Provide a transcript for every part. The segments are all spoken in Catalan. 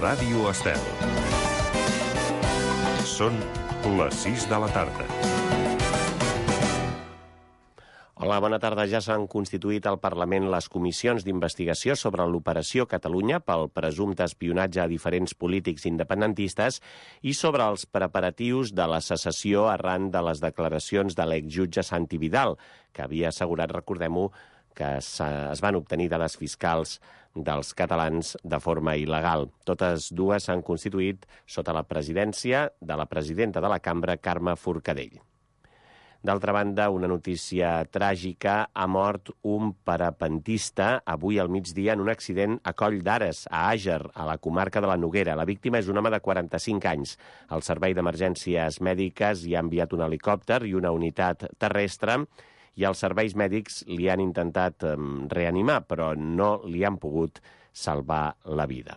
Ràdio Estel. Són les 6 de la tarda. Hola, bona tarda. Ja s'han constituït al Parlament les comissions d'investigació sobre l'operació Catalunya pel presumpte espionatge a diferents polítics independentistes i sobre els preparatius de la secessió arran de les declaracions de l'exjutge Santi Vidal, que havia assegurat, recordem-ho, que es van obtenir dades fiscals dels catalans de forma il·legal. Totes dues s'han constituït sota la presidència de la presidenta de la cambra, Carme Forcadell. D'altra banda, una notícia tràgica: ha mort un parapentista avui al migdia en un accident a Coll d'Ares, a Àger, a la comarca de la Noguera. La víctima és un home de 45 anys. El Servei d'Emergències Mèdiques hi ha enviat un helicòpter i una unitat terrestre, i els serveis mèdics li han intentat reanimar, però no li han pogut salvar la vida.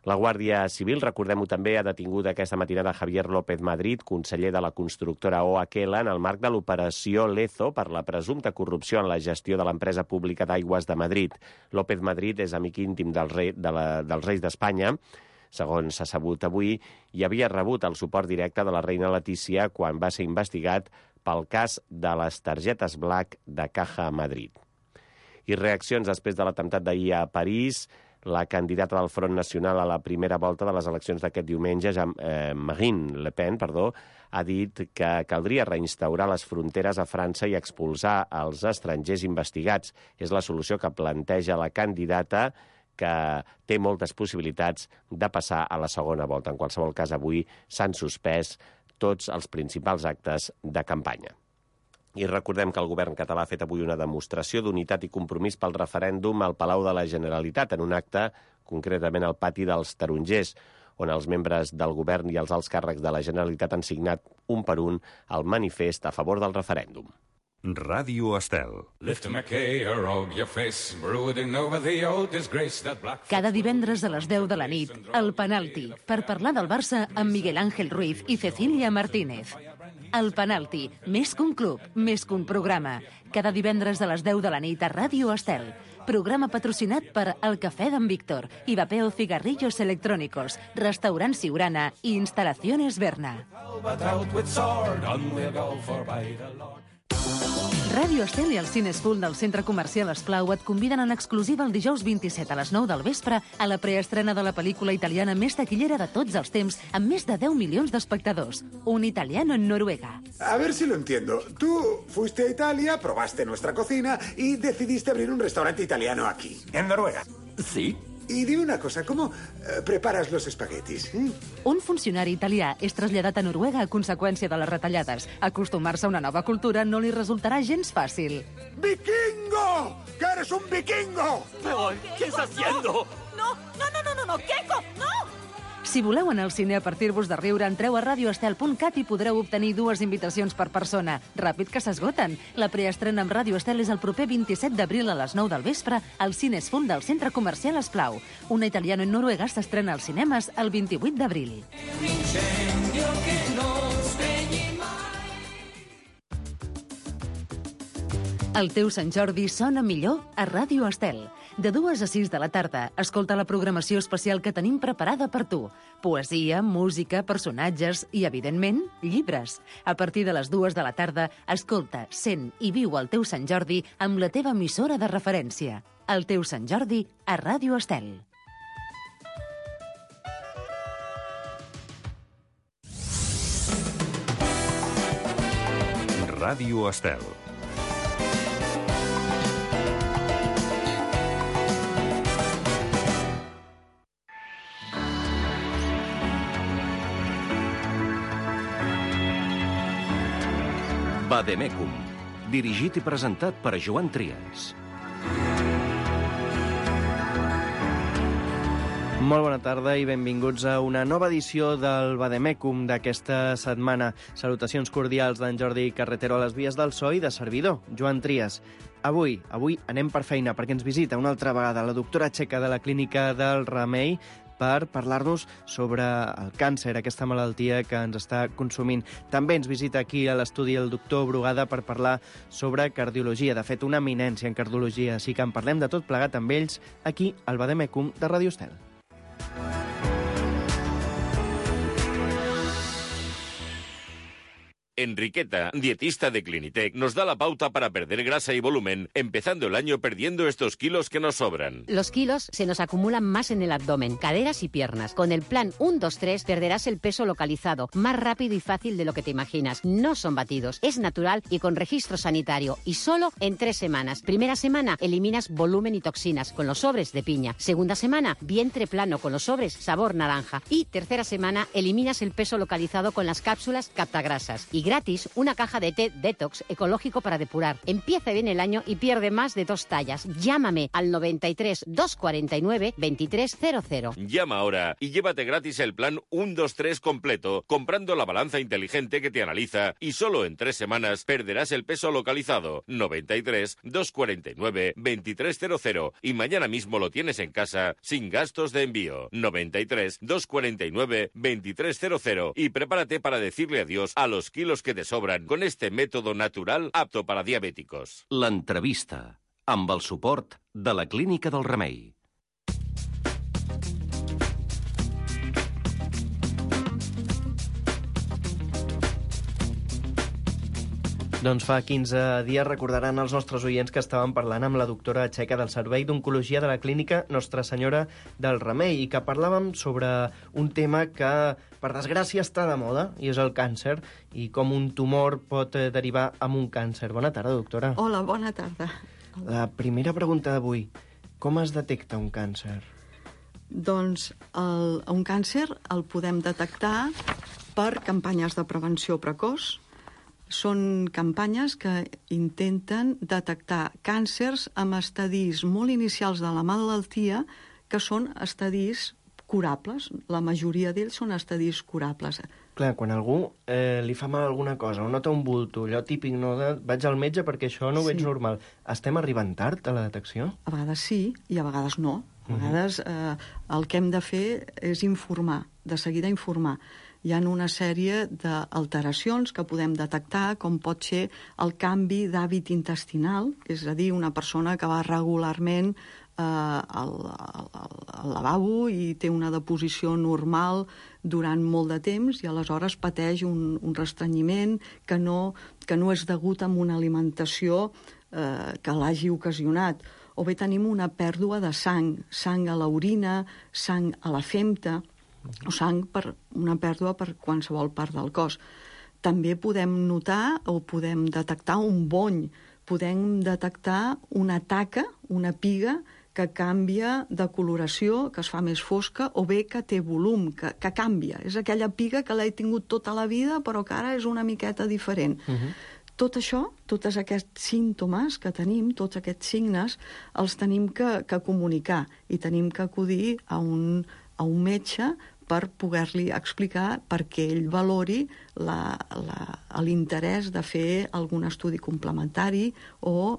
La Guàrdia Civil, recordem-ho també, ha detingut aquesta matinada Javier López Madrid, conseller de la constructora OHL, en el marc de l'operació Lezo per la presumpta corrupció en la gestió de l'empresa pública d'Aigües de Madrid. López Madrid és amic íntim dels reis d'Espanya, segons s'ha sabut avui, i havia rebut el suport directe de la reina Letícia quan va ser investigat pel cas de les targetes Black de Caja Madrid. I reaccions després de l'atemptat d'ahir a París. La candidata del Front Nacional a la primera volta de les eleccions d'aquest diumenge, Marine Le Pen, ha dit que caldria reinstaurar les fronteres a França i expulsar els estrangers investigats. És la solució que planteja la candidata, que té moltes possibilitats de passar a la segona volta. En qualsevol cas, avui s'han suspès tots els principals actes de campanya. I recordem que el govern català ha fet avui una demostració d'unitat i compromís pel referèndum al Palau de la Generalitat, en un acte, concretament al pati dels Tarongers, on els membres del govern i els alts càrrecs de la Generalitat han signat un per un el manifest a favor del referèndum. Ràdio Estel. Cada divendres a les 10 de la nit, El Penalti, per parlar del Barça amb Miguel Ángel Ruiz i Cecília Martínez. El Penalti, més que un club, més que un programa. Cada divendres a les 10 de la nit a Ràdio Estel. Programa patrocinat per El Cafè d'en Víctor, Ivapeo Cigarrillos Electrónicos, Restaurant Siurana i Instalaciones Berna. Ràdio Estel i els cines Full del Centre Comercial Esclau et conviden en exclusiva el dijous 27 a les 9 del vespre a la preestrena de la pel·lícula italiana més taquillera de tots els temps, amb més de 10 milions d'espectadors. Un italiano en Noruega. A ver si lo entiendo. Tú fuiste a Italia, probaste nuestra cocina y decidiste abrir un restaurante italiano aquí, en Noruega. Sí. Y dime una cosa, ¿cómo preparas los espaguetis? Un funcionari italià és traslladat a Noruega a conseqüència de les retallades. Acostumar-se a una nova cultura no li resultarà gens fàcil. ¡Vikingo! ¡Que eres un vikingo! Pero, ¿qué está haciendo? No, Keiko, no! Si voleu anar al cine a partir-vos de riure, entreu a radioestel.cat i podreu obtenir 2 invitacions per persona. Ràpid que s'esgoten. La preestrena amb Ràdio Estel és el proper 27 d'abril a les 9 del vespre al Cines Full del Centre Comercial Esclau. Una italiana en Noruega s'estrena als cinemes el 28 d'abril. El teu Sant Jordi sona millor a Ràdio Estel. De 2 a 6 de la tarda, escolta la programació especial que tenim preparada per tu. Poesia, música, personatges i, evidentment, llibres. A partir de les 2 de la tarda, escolta, sent i viu el teu Sant Jordi amb la teva emissora de referència. El teu Sant Jordi a Ràdio Estel. Ràdio Estel. Vademecum, dirigit i presentat per Joan Trias. Molt bona tarda i benvinguts a una nova edició del Vademecum d'aquesta setmana. Salutacions cordials d'en Jordi Carretero a les vies del so i de servidor, Joan Trias. Avui anem per feina perquè ens visita una altra vegada la doctora txeca de la Clínica del Remei per parlar-nos sobre el càncer, aquesta malaltia que ens està consumint. També ens visita aquí a l'estudi el doctor Brugada per parlar sobre cardiologia. De fet, una eminència en cardiologia, així que en parlem de tot plegat amb ells aquí al Vademecum de Ràdio Estel. Enriqueta, dietista de Clinitec, nos da la pauta para perder grasa y volumen, empezando el año perdiendo estos kilos que nos sobran. Los kilos se nos acumulan más en el abdomen, caderas y piernas. Con el plan 1-2-3 perderás el peso localizado, más rápido y fácil de lo que te imaginas. No son batidos, es natural y con registro sanitario. Y solo en 3 semanas. Primera semana, eliminas volumen y toxinas con los sobres de piña. Segunda semana, vientre plano con los sobres sabor naranja. Y tercera semana, eliminas el peso localizado con las cápsulas captagrasas. Y gratis, una caja de té detox ecológico para depurar. Empieza bien el año y pierde más de 2 tallas. Llámame al 93 249 2300. Llama ahora y llévate gratis el plan 1-2-3 completo, comprando la balanza inteligente que te analiza, y solo en 3 semanas perderás el peso localizado. 93 249 2300. Y mañana mismo lo tienes en casa sin gastos de envío. 93 249 2300. Y prepárate para decirle adiós a los kilos que te sobran con este método natural apto para diabéticos. L'entrevista, amb el suport de la Clínica del Remei. Doncs fa 15 dies recordaran els nostres oients que estàvem parlant amb la doctora txeca del Servei d'Oncologia de la Clínica Nostra Senyora del Remei i que parlàvem sobre un tema que, per desgràcia, està de moda, i és el càncer, i com un tumor pot derivar en un càncer. Bona tarda, doctora. Hola, bona tarda. La primera pregunta d'avui, com es detecta un càncer? Doncs un càncer el podem detectar per campanyes de prevenció precoç. Són campanyes que intenten detectar càncers amb estadis molt inicials de la malaltia, que són estadis curables. La majoria d'ells són estadis curables. Clar, quan algú li fa mal alguna cosa, o nota un bulto, allò típic, no, vaig al metge perquè això no ho veig normal. Estem arribant tard a la detecció? A vegades sí i a vegades no. A vegades el que hem de fer és informar, de seguida informar. Hi ha una sèrie d'alteracions que podem detectar, com pot ser el canvi d'hàbit intestinal, és a dir, una persona que va regularment al lavabo i té una deposició normal durant molt de temps i aleshores pateix un restrenyiment que no és degut a una alimentació que l'hagi ocasionat. O bé tenim una pèrdua de sang a l'orina, sang a la femta, o sang per una pèrdua per qualsevol part del cos. També podem notar o podem detectar un bony, podem detectar una taca, una piga, que canvia de coloració, que es fa més fosca, o bé que té volum, que canvia. És aquella piga que l'he tingut tota la vida, però que ara és una miqueta diferent. Tot això, tots aquests símptomes que tenim, tots aquests signes, els tenim que comunicar i tenim que acudir a un metge per poder-li explicar perquè ell valori l'interès de fer algun estudi complementari o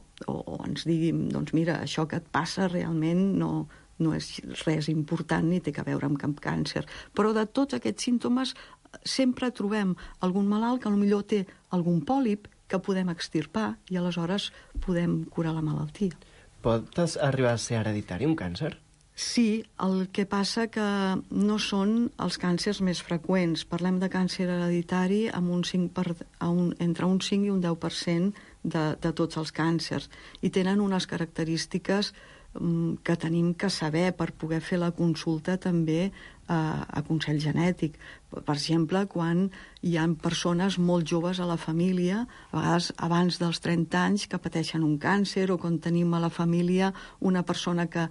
ens digui, doncs mira, això que et passa realment no és res important ni té a veure amb cap càncer. Però de tots aquests símptomes sempre trobem algun malalt que potser té algun pòlip que podem extirpar i aleshores podem curar la malaltia. Pot arribar a ser hereditari un càncer? Sí, el que passa que no són els càncers més freqüents. Parlem de càncer hereditari amb entre un 5 i un 10% de tots els càncers. I tenen unes característiques que tenim que saber per poder fer la consulta també a consell genètic. Per exemple, quan hi ha persones molt joves a la família, a vegades abans dels 30 anys, que pateixen un càncer, o quan tenim a la família una persona que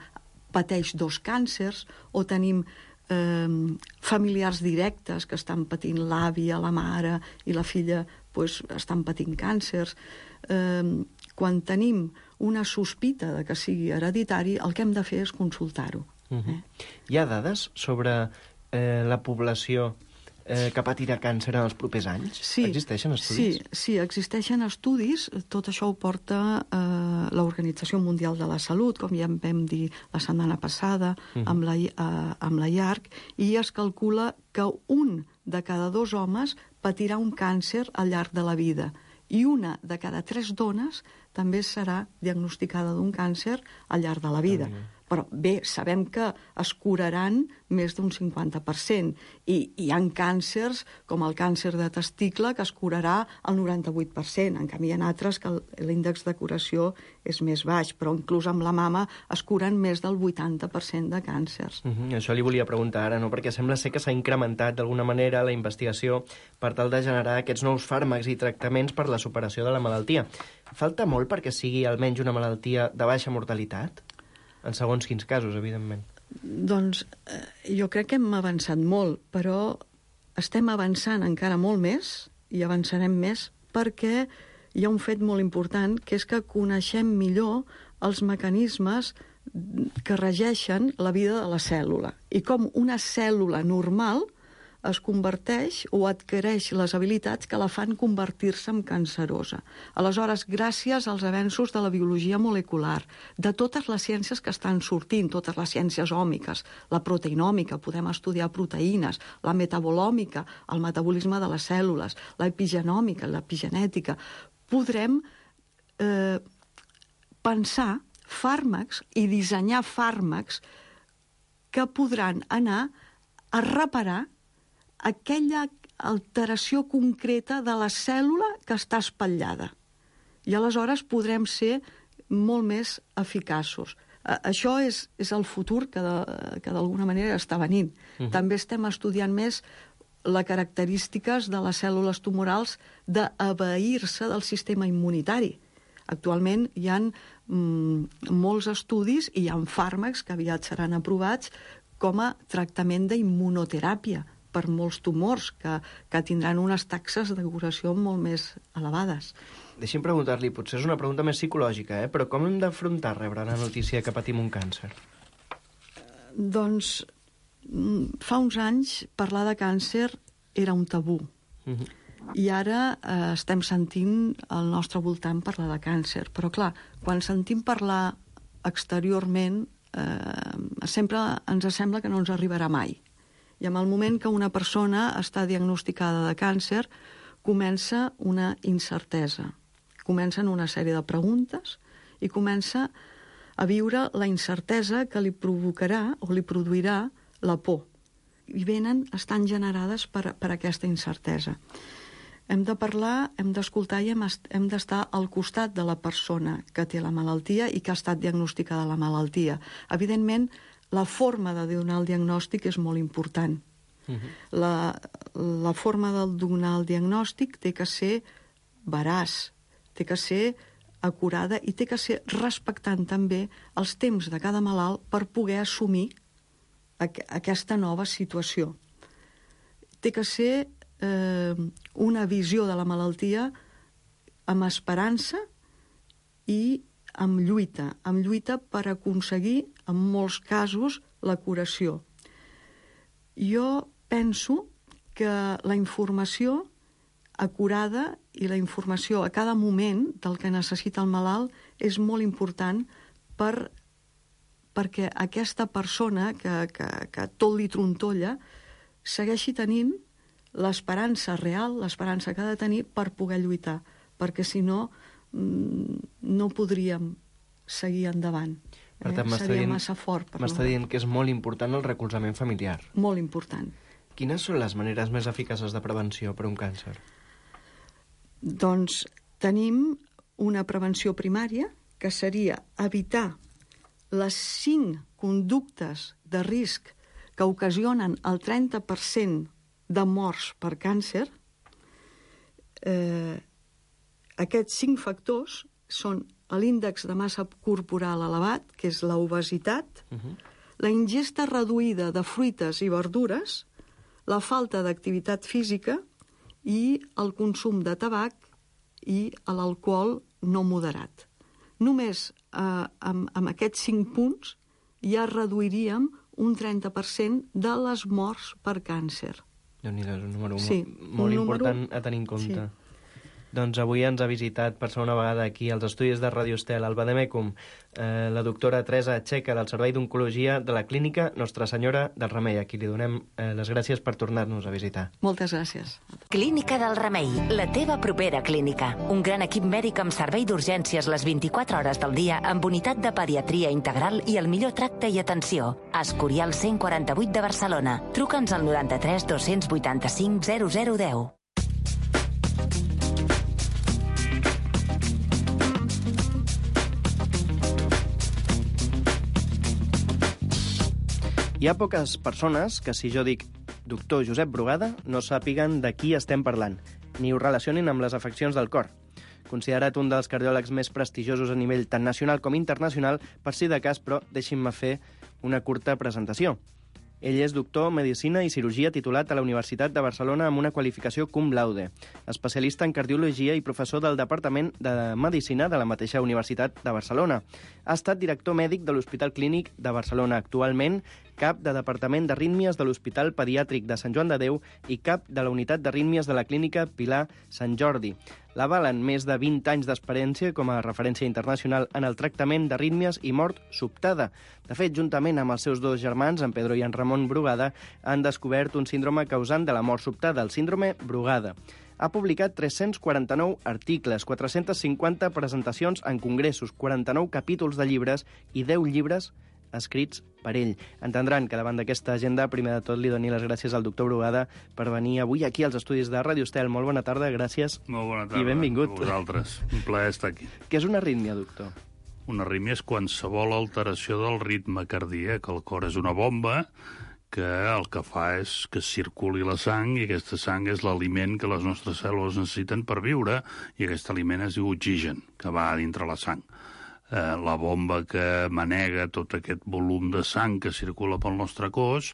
pateix 2 càncers, o tenim familiars directes que estan patint l'àvia, la mare i la filla estan patint càncers. Quan tenim una sospita de que sigui hereditari, el que hem de fer és consultar-ho. Hi ha dades sobre la població que patirà càncer en els propers anys? Sí, existeixen estudis? Sí, existeixen estudis. Tot això ho porta l'Organització Mundial de la Salut, com ja vam dir la setmana passada, amb la IARC, i es calcula que 1 de cada 2 homes patirà un càncer al llarg de la vida, i 1 de cada 3 dones també serà diagnosticada d'un càncer al llarg de la vida. Però bé, sabem que es curaran més d'un 50%, i hi ha càncers, com el càncer de testicle, que es curarà al 98%, en canvi hi ha altres que l'índex de curació és més baix, però inclús amb la mama es curen més del 80% de càncers. Això li volia preguntar ara, no? Perquè sembla ser que s'ha incrementat d'alguna manera la investigació per tal de generar aquests nous fàrmacs i tractaments per la superació de la malaltia. Falta molt perquè sigui almenys una malaltia de baixa mortalitat? En segons quins casos, evidentment. Doncs jo crec que hem avançat molt, però estem avançant encara molt més, i avançarem més, perquè hi ha un fet molt important, que és que coneixem millor els mecanismes que regeixen la vida de la cèl·lula, i com una cèl·lula normal es converteix o adquireix les habilitats que la fan convertir-se en cancerosa. Aleshores, gràcies als avenços de la biologia molecular, de totes les ciències que estan sortint, totes les ciències òmiques, la proteinòmica, podem estudiar proteïnes, la metabolòmica, el metabolisme de les cèl·lules, l'epigenòmica, l'epigenètica, podrem pensar fàrmacs i dissenyar fàrmacs que podran anar a reparar aquella alteració concreta de la cèl·lula que està espatllada. I aleshores podrem ser molt més eficaços. Això és el futur que d'alguna manera està venint. També estem estudiant més les característiques de les cèl·lules tumorals d'abeir-se del sistema immunitari. Actualment hi ha molts estudis i hi ha fàrmacs que aviat seran aprovats com a tractament d'immunoteràpia per molts tumors que tindran unes taxes de curació molt més elevades. Deixi'm preguntar-li, potser és una pregunta més psicològica, però com hem d'afrontar rebre la notícia que patim un càncer? Doncs fa uns anys parlar de càncer era un tabú. I ara estem sentint al nostre voltant parlar de càncer. Però clar, quan sentim parlar exteriorment sempre ens sembla que no ens arribarà mai. I en el moment que una persona està diagnosticada de càncer, comença una incertesa. Comencen una sèrie de preguntes i comença a viure la incertesa que li provocarà o li produirà la por. I estan generades per aquesta incertesa. Hem de parlar, hem d'escoltar i hem d'estar al costat de la persona que té la malaltia i que ha estat diagnosticada la malaltia. Evidentment, la forma de donar el diagnòstic és molt important. La forma de donar el diagnòstic té que ser veraç, té que ser acurada i té que ser respectant també els temps de cada malalt per poder assumir aquesta nova situació. Té que ser una visió de la malaltia amb esperança i amb lluita per aconseguir, en molts casos, la curació. Jo penso que la informació acurada i la informació a cada moment del que necessita el malalt és molt important perquè aquesta persona que tot li trontolla segueixi tenint l'esperança real, l'esperança que ha de tenir per poder lluitar, perquè si no no podríem seguir endavant. Per tant, seria massa fort. M'està dient que és molt important el recolzament familiar. Molt important. Quines són les maneres més eficaces de prevenció per un càncer? Doncs tenim una prevenció primària, que seria evitar les 5 conductes de risc que ocasionen el 30% de morts per càncer. Aquests 5 factors són l'índex de massa corporal elevat, que és l'obesitat, la ingesta reduïda de fruites i verdures, la falta d'activitat física i el consum de tabac i l'alcohol no moderat. Només amb aquests 5 punts ja reduiríem un 30% de les morts per càncer. Déu-n'hi-do, és un número molt important a tenir en compte. Doncs avui ens ha visitat per segona vegada aquí als estudis de Ràdio Estel, al Vademecum, la doctora Teresa Checa, del Servei d'Oncologia de la Clínica Nostra Senyora del Remei, a qui li donem les gràcies per tornar-nos a visitar. Moltes gràcies. Clínica del Remei, la teva propera clínica. Un gran equip mèdic amb servei d'urgències les 24 hores del dia, amb unitat de pediatria integral i el millor tracte i atenció. Escorial 148 de Barcelona. Truca'ns al 93 285 0010. Hi ha poques persones que, si jo dic doctor Josep Brugada, no sàpiguen de qui estem parlant, ni ho relacionin amb les afeccions del cor. Considerat un dels cardiòlegs més prestigiosos a nivell tant nacional com internacional, per si de cas, però deixin-me fer una curta presentació. Ell és doctor en Medicina i Cirurgia titulat a la Universitat de Barcelona amb una qualificació cum laude, especialista en cardiologia i professor del Departament de Medicina de la mateixa Universitat de Barcelona. Ha estat director mèdic de l'Hospital Clínic de Barcelona, actualment cap de Departament d'Arrítmies de l'Hospital Pediàtric de Sant Joan de Déu i cap de la Unitat d'Arrítmies de la Clínica Pilar Sant Jordi. L'avalen més de 20 anys d'experiència com a referència internacional en el tractament d'arrítmies i mort sobtada. De fet, juntament amb els seus dos germans, en Pedro i en Ramon Brugada, han descobert un síndrome causant de la mort sobtada, el síndrome Brugada. Ha publicat 349 articles, 450 presentacions en congressos, 49 capítols de llibres i 10 llibres escrits per ell. Entendran que davant d'aquesta agenda, primer de tot, li doni les gràcies al doctor Brugada per venir avui aquí als estudis de Ràdio Estel. Molt bona tarda, gràcies. Molt bona tarda. I benvingut. A vosaltres. Un plaer estar aquí. Què és una arrítmia, doctor? Una arrítmia és qualsevol alteració del ritme cardíac. El cor és una bomba que el que fa és que circuli la sang, i aquesta sang és l'aliment que les nostres cèl·lules necessiten per viure, i aquest aliment es diu oxigen, que va a dintre la sang. La bomba que manega tot aquest volum de sang que circula pel nostre cos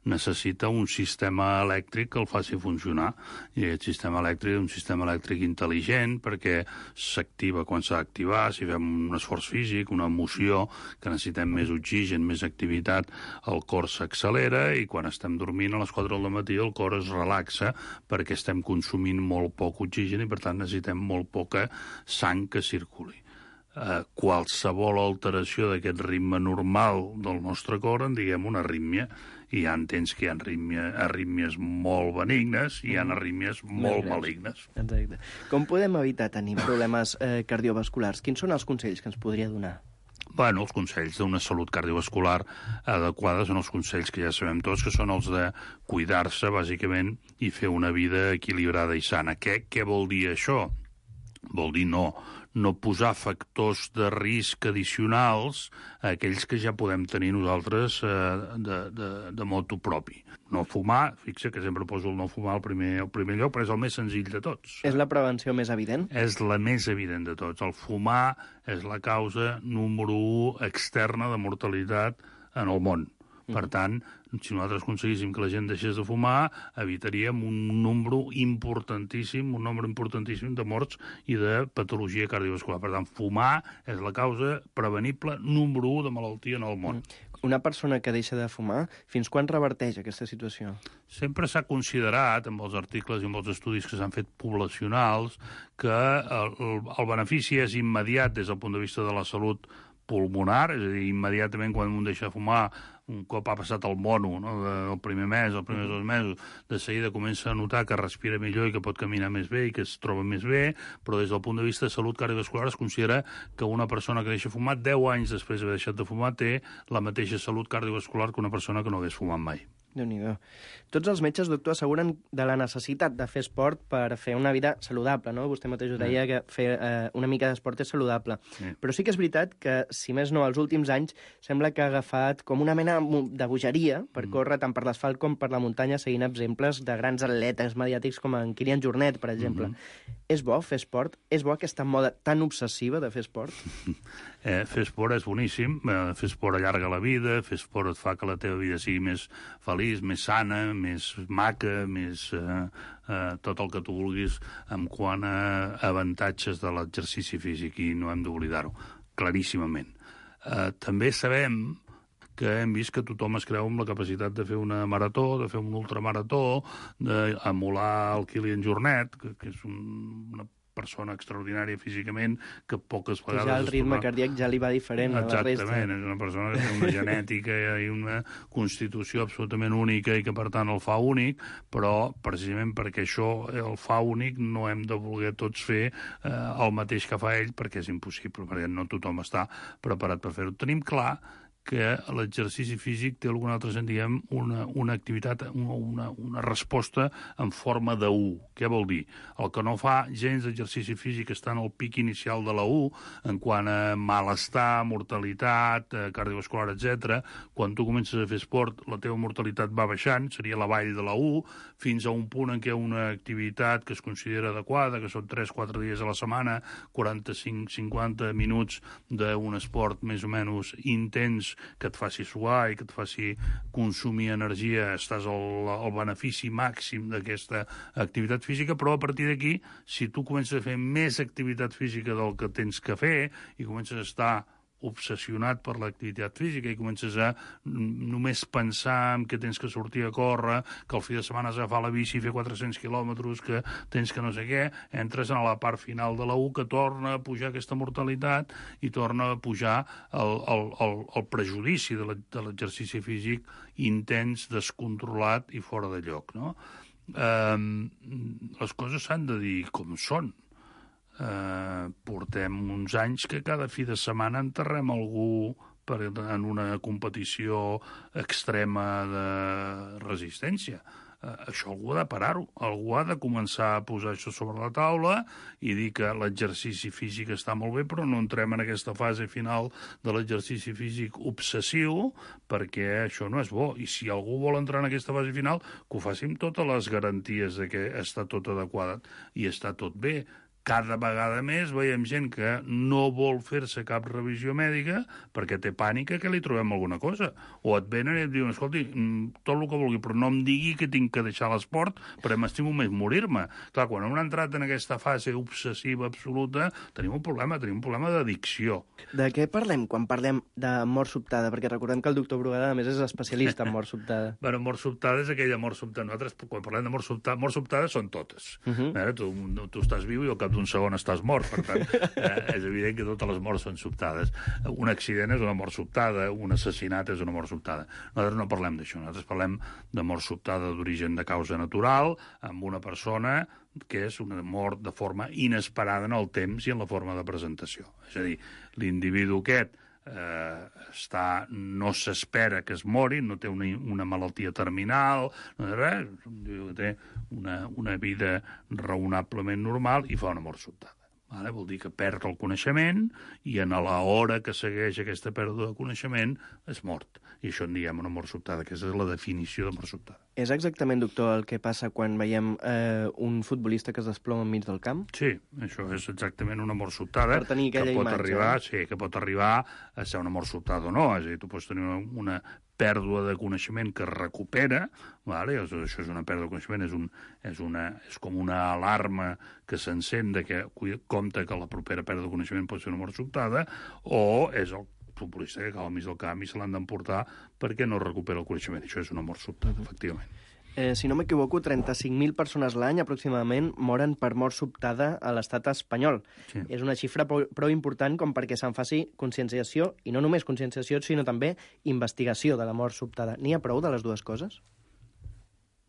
necessita un sistema elèctric que el faci funcionar. I aquest sistema elèctric és un sistema elèctric intel·ligent perquè s'activa quan s'ha d'activar. Si fem un esforç físic, una emoció, que necessitem més oxigen, més activitat, el cor s'accelera, i quan estem dormint a les 4 del matí el cor es relaxa perquè estem consumint molt poc oxigen i per tant necessitem molt poca sang que circuli. Qualsevol alteració d'aquest ritme normal del nostre cor en diguem una arrítmia, i ja entens que hi ha arrítmies molt benignes i hi ha arrítmies molt malignes. Exacte. Com podem evitar tenir problemes cardiovasculars? Quins són els consells que ens podria donar? Bueno, els consells d'una salut cardiovascular adequada són els consells que ja sabem tots, que són els de cuidar-se, bàsicament, i fer una vida equilibrada i sana. Què vol dir això? Vol dir no posar factors de risc addicionals a aquells que ja podem tenir nosaltres de motu propi. No fumar, fixa que sempre poso el no fumar al primer lloc, però és el més senzill de tots. És la prevenció més evident? És la més evident de tots. El fumar és la causa número 1 externa de mortalitat en el món. Per tant, si nosaltres aconseguíssim que la gent deixés de fumar, evitaríem un nombre importantíssim de morts i de patologia cardiovascular. Per tant, fumar és la causa prevenible número 1 de malaltia en el món. Una persona que deixa de fumar, fins quan reverteix aquesta situació? Sempre s'ha considerat, amb els articles i amb els estudis que s'han fet poblacionals, que el benefici és immediat des del punt de vista de la salut pulmonar, és a dir, immediatament quan un deixa de fumar, un cop ha passat el mono, no? El primer mes, els primers 2 mesos, de seguida comença a notar que respira millor i que pot caminar més bé i que es troba més bé, però des del punt de vista de salut cardiovascular es considera que una persona que deixa de fumar 10 anys després d'haver deixat de fumar té la mateixa salut cardiovascular que una persona que no hagués fumat mai. Déu-n'hi-do. Tots els metges, doctor, asseguren de la necessitat de fer esport per fer una vida saludable, no? Vostè mateix ho deia, que fer una mica d'esport és saludable. Sí. Però sí que és veritat que, si més no, els últims anys sembla que ha agafat com una mena de bogeria per córrer tant per l'asfalt com per la muntanya, seguint exemples de grans atletes mediàtics com en Kilian Jornet, per exemple. És bo fer esport? És bo aquesta moda tan obsessiva de fer esport? Fer esport és boníssim. Fer esport allarga la vida, fer esport et fa que la teva vida sigui més feliç, més sana, més maca, més tot el que tu vulguis en quant a avantatges de l'exercici físic, i no hem d'oblidar-ho, claríssimament. També sabem que hem vist que tothom es creu amb la capacitat de fer una marató, de fer un ultramarató, d'emular el Kilian Jornet, que és una persona extraordinària físicament, que poques vegades... Ja el ritme cardíac ja li va diferent a la resta. Exactament, és una persona que té una genètica i una constitució absolutament única i que, per tant, el fa únic, però precisament perquè això el fa únic no hem de voler tots fer el mateix que fa ell, perquè és impossible, perquè no tothom està preparat per fer-ho. Tenim clar que l'exercici físic té algun altre sentit, diguem, una activitat, una resposta en forma de U. Què vol dir? El que no fa gens d'exercici físic està en el pic inicial de la U, en quant a malestar, mortalitat, cardiovascular, etc. Quan tu comences a fer esport, la teva mortalitat va baixant, seria la vall de la U, fins a un punt en què una activitat que es considera adequada, que són 3-4 dies a la setmana, 45-50 minuts d'un esport més o menys intens, que et faci suar i que et faci consumir energia, estàs al benefici màxim d'aquesta activitat física, però a partir d'aquí, si tu comences a fer més activitat física del que tens que fer i comences a estar obsessionat per l'activitat física i comences a només pensar en que tens que sortir a córrer, que el fi de setmana has d'agafar la bici i fer 400 quilòmetres, que tens que no sé què, entres a la part final de la U que torna a pujar aquesta mortalitat i torna a pujar el prejudici de l'exercici físic intens, descontrolat i fora de lloc, no? Les coses s'han de dir com són. Portem uns anys que cada fi de setmana enterrem algú en una competició extrema de resistència. Això algú ha de parar-ho, algú ha de començar a posar això sobre la taula i dir que l'exercici físic està molt bé, però no entrem en aquesta fase final de l'exercici físic obsessiu, perquè això no és bo. I si algú vol entrar en aquesta fase final, que ho faci amb totes les garanties de que està tot adequat i està tot bé. Cada vegada més veiem gent que no vol fer-se cap revisió mèdica perquè té pànic que li trobem alguna cosa. O et venen i et diuen, escolti, tot el que vulgui, però no em digui que tinc que deixar l'esport perquè m'estimo més morir-me. Clar, quan hem entrat en aquesta fase obsessiva absoluta, tenim un problema d'addicció. De què parlem quan parlem de mort sobtada? Perquè recordem que el doctor Brugada, a més, és especialista en mort sobtada. Bueno, mort sobtada és aquella mort sobtada. Nosaltres, quan parlem de mort sobtada són totes. Tu estàs viu i al cap d'un segon estàs mort, per tant, és evident que totes les morts són sobtades. Un accident és una mort sobtada, un assassinat és una mort sobtada. Nosaltres no parlem d'això, nosaltres parlem de mort sobtada d'origen de causa natural, amb una persona que és una mort de forma inesperada en el temps i en la forma de presentació. És a dir, l'individu aquest no s'espera que es mori, no té una malaltia terminal, no té res, té una vida raonablement normal i fa una mort sobtada. Vol dir que perd el coneixement i en l'hora que segueix aquesta pèrdua de coneixement és mort. I això en diem una mort sobtada, que és la definició de mort sobtada. És exactament, doctor, el que passa quan veiem un futbolista que es desploma enmig del camp? Sí, això és exactament una mort sobtada. Per tenir aquella imatge. Que pot arribar a ser una mort sobtada o no. És a dir, tu pots tenir una pèrdua de coneixement que es recupera, això és una pèrdua de coneixement, és com una alarma que s'encén que compta que la propera pèrdua de coneixement pot ser una mort sobtada, o és el futbolista que cau al mig del camp i se l'han d'emportar perquè no recupera el coneixement. Això és una mort sobtada, efectivament. Si no m'equivoco, 35.000 persones l'any aproximadament moren per mort sobtada a l'estat espanyol. Sí. És una xifra prou important com perquè se'n faci conscienciació, i no només conscienciació, sinó també investigació de la mort sobtada. N'hi ha prou de les dues coses?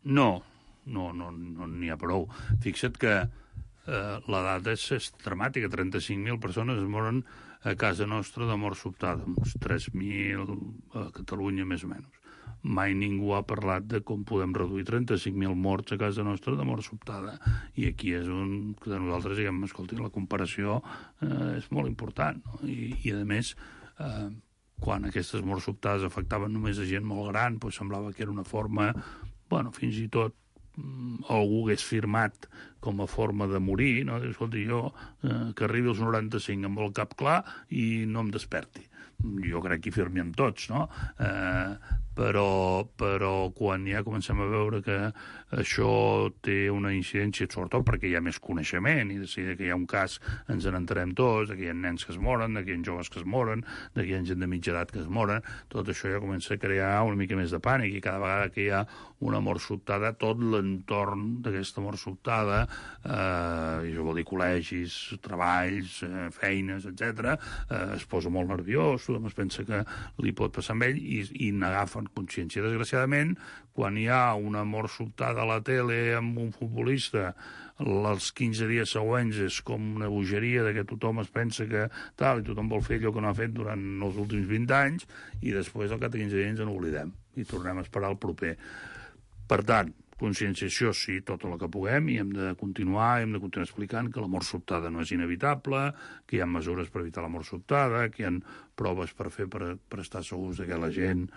No n'hi ha prou. Fixa't que la dada és dramàtica. 35.000 persones es moren a casa nostra de mort sobtada, uns 3.000 a Catalunya més o menys. Mai ningú ha parlat de com podem reduir 35.000 morts a casa nostra de mort sobtada. I aquí és on nosaltres diguem, escolti, la comparació és molt important, no? I a més, quan aquestes morts sobtades afectaven només a gent molt gran, doncs semblava que era una forma, fins i tot algú hagués firmat com a forma de morir, no? Escolti, jo que arribi als 95 amb el cap clar i no em desperti. Jo crec que hi firmem tots, no? però quan ja comencem a veure que això té una incidència, sobretot perquè hi ha més coneixement, i de que hi ha un cas ens n'enterem tots, que hi ha nens que es moren, que hi ha joves que es moren, que hi ha gent de mitja edat que es moren, tot això ja comença a crear una mica més de pànic, i cada vegada que hi ha una mort sobtada, tot l'entorn d'aquesta mort sobtada, i això vol dir col·legis, treballs, feines, etc., es posa molt nerviós, tothom es pensa que li pot passar amb ell, i n'agafen consciència. Desgraciadament, quan hi ha una mort sobtada a la tele amb un futbolista, els 15 dies següents és com una bogeria de que tothom es pensa que tal, i tothom vol fer allò que no ha fet durant els últims 20 anys, i després al cap de 15 dies ens n'oblidem i tornem a esperar el proper. Per tant, conscienciació, sí, tot el que puguem, i hem de continuar explicant que la mort sobtada no és inevitable, que hi ha mesures per evitar la mort sobtada, que hi ha proves per fer per estar segurs que la gent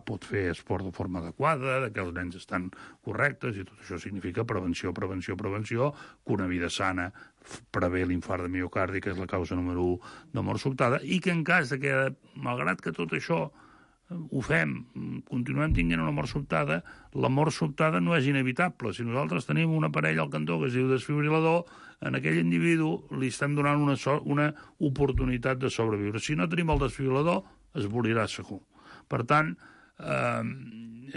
pot fer esport de forma adequada, que els nens estan correctes, i tot això significa prevenció, que una vida sana prevé l'infart de miocardi, que és la causa número 1 de mort sobtada, i que en cas de que, malgrat que tot això ho fem, continuem tenint una mort sobtada, la mort sobtada no és inevitable. Si nosaltres tenim un aparell al cantó que es diu desfibrilador, en aquell individu li estem donant una oportunitat de sobreviure. Si no tenim el desfibrilador, es morirà segur. Per tant,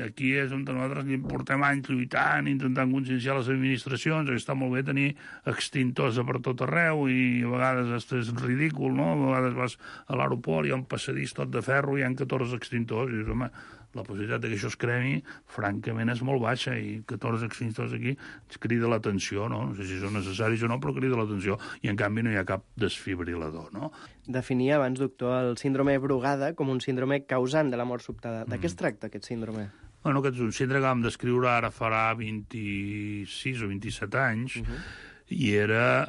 aquí és on nosaltres portem anys lluitant, intentant conscienciar les administracions, que està molt bé tenir extintors per tot arreu, i a vegades és ridícul, no? A vegades vas a l'aeroport, hi ha un passadís tot de ferro, hi ha 14 extintors, i dius, home, la possibilitat que això es cremi, francament, és molt baixa, i 14 extintors aquí ens crida l'atenció, no? No sé si són necessaris o no, però crida l'atenció, i en canvi no hi ha cap desfibrilador, no? Definia abans, doctor, el síndrome Brugada com un síndrome causant de la mort sobtada. De què es tracta, aquest síndrome? Bueno, aquest és un síndrome que vam descriure ara farà 26 o 27 anys, i era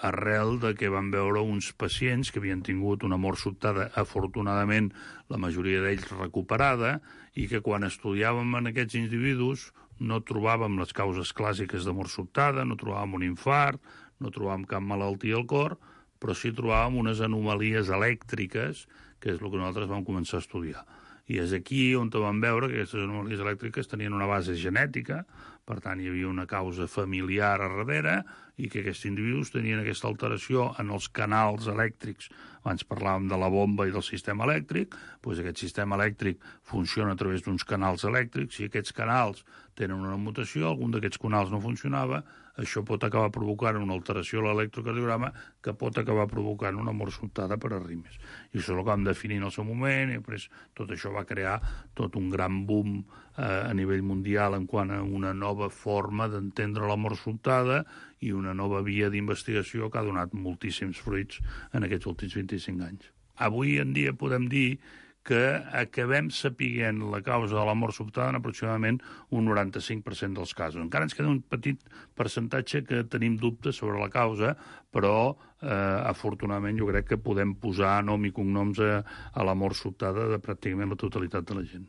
arrel de que vam veure uns pacients que havien tingut una mort sobtada, afortunadament la majoria d'ells recuperada, i que quan estudiàvem en aquests individus no trobàvem les causes clàssiques de mort sobtada, no trobàvem un infart, no trobàvem cap malaltia al cor, però sí trobàvem unes anomalies elèctriques, que és el que nosaltres vam començar a estudiar. I és aquí on vam veure que aquestes anomalies elèctriques tenien una base genètica, per tant hi havia una causa familiar a darrere, i que aquests individus tenien aquesta alteració en els canals elèctrics. Abans parlàvem de la bomba i del sistema elèctric, doncs aquest sistema elèctric funciona a través d'uns canals elèctrics. Si aquests canals tenen una mutació, algun d'aquests canals no funcionava, això pot acabar provocant una alteració a l'electrocardiograma que pot acabar provocant una mort sobtada per arrítmies. I això és el que vam definir en el seu moment, i després tot això va crear tot un gran boom a nivell mundial en quant a una nova forma d'entendre la mort sobtada i una nova via d'investigació que ha donat moltíssims fruits en aquests últims 25 anys. Avui en dia podem dir que acabem sapiguent la causa de la mort sobtada en aproximadament un 95% dels casos. Encara ens queda un petit percentatge que tenim dubtes sobre la causa, però afortunadament jo crec que podem posar nom i cognoms a la mort sobtada de pràcticament la totalitat de la gent.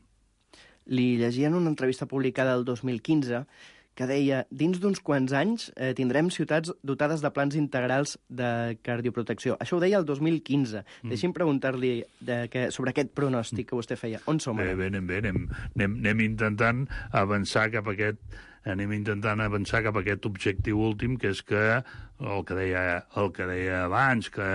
Li llegia en una entrevista publicada el 2015 que deia, dins d'uns quants anys tindrem ciutats dotades de plans integrals de cardioprotecció. Això ho deia el 2015. Deixi'm preguntar-li sobre aquest pronòstic que vostè feia. On som ara? Bé, anem intentant avançar cap a aquest objectiu últim, que és que el que deia abans, que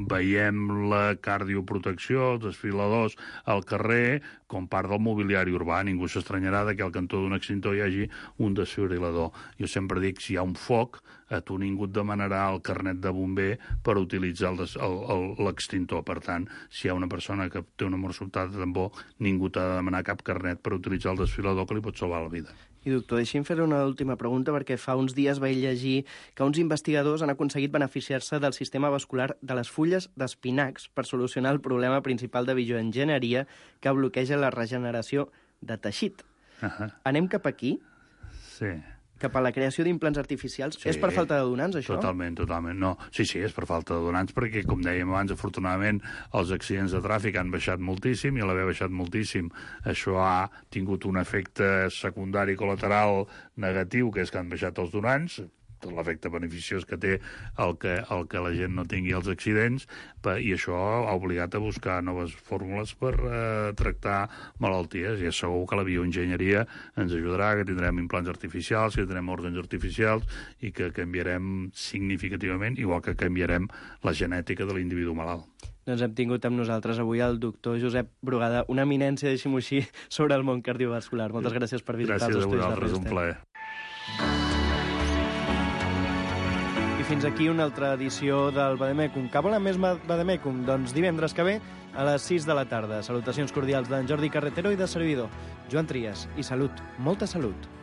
veiem la cardioprotecció, els desfibriladors al carrer, com part del mobiliari urbà. Ningú s'estranyarà que al cantó d'un extintor hi hagi un desfibrilador. Jo sempre dic, si hi ha un foc, a tu ningú et demanarà el carnet de bomber per utilitzar l'extintor. Per tant, si hi ha una persona que té una mort sobtada, tampoc ningú t'ha de demanar cap carnet per utilitzar el desfibrilador que li pot salvar la vida. I doctor, deixi'm fer una última pregunta, perquè fa uns dies vaig llegir que uns investigadors han aconseguit beneficiar-se del sistema vascular de les fulles d'espinacs per solucionar el problema principal de bioenginyeria que bloqueja la regeneració de teixit. Anem cap aquí? Sí. Cap a la creació d'implants artificials? Sí, és per falta de donants, això? Totalment. No. Sí, és per falta de donants, perquè, com dèiem abans, afortunadament, els accidents de tràfic han baixat moltíssim, i a l'haver baixat moltíssim, això ha tingut un efecte secundari col·lateral negatiu, que és que han baixat els donants, l'efecte beneficiós que té el que la gent no tingui els accidents, i això ha obligat a buscar noves fórmules per tractar malalties, i és segur que la bioenginyeria ens ajudarà, que tindrem implants artificials, que tindrem òrgans artificials i que canviarem significativament, igual que canviarem la genètica de l'individu malalt. Doncs hem tingut amb nosaltres avui el doctor Josep Brugada, una eminència, deixi-m'ho així, sobre el món cardiovascular. Moltes gràcies per visitar els estudis de Ràdio Gràcies a vosaltres, un plaer. I fins aquí una altra edició del Vademecum. Que volen més Vademecum? Doncs divendres que ve a les 6 de la tarda. Salutacions cordials d'en Jordi Carretero i de servidor, Joan Trias. I salut, molta salut.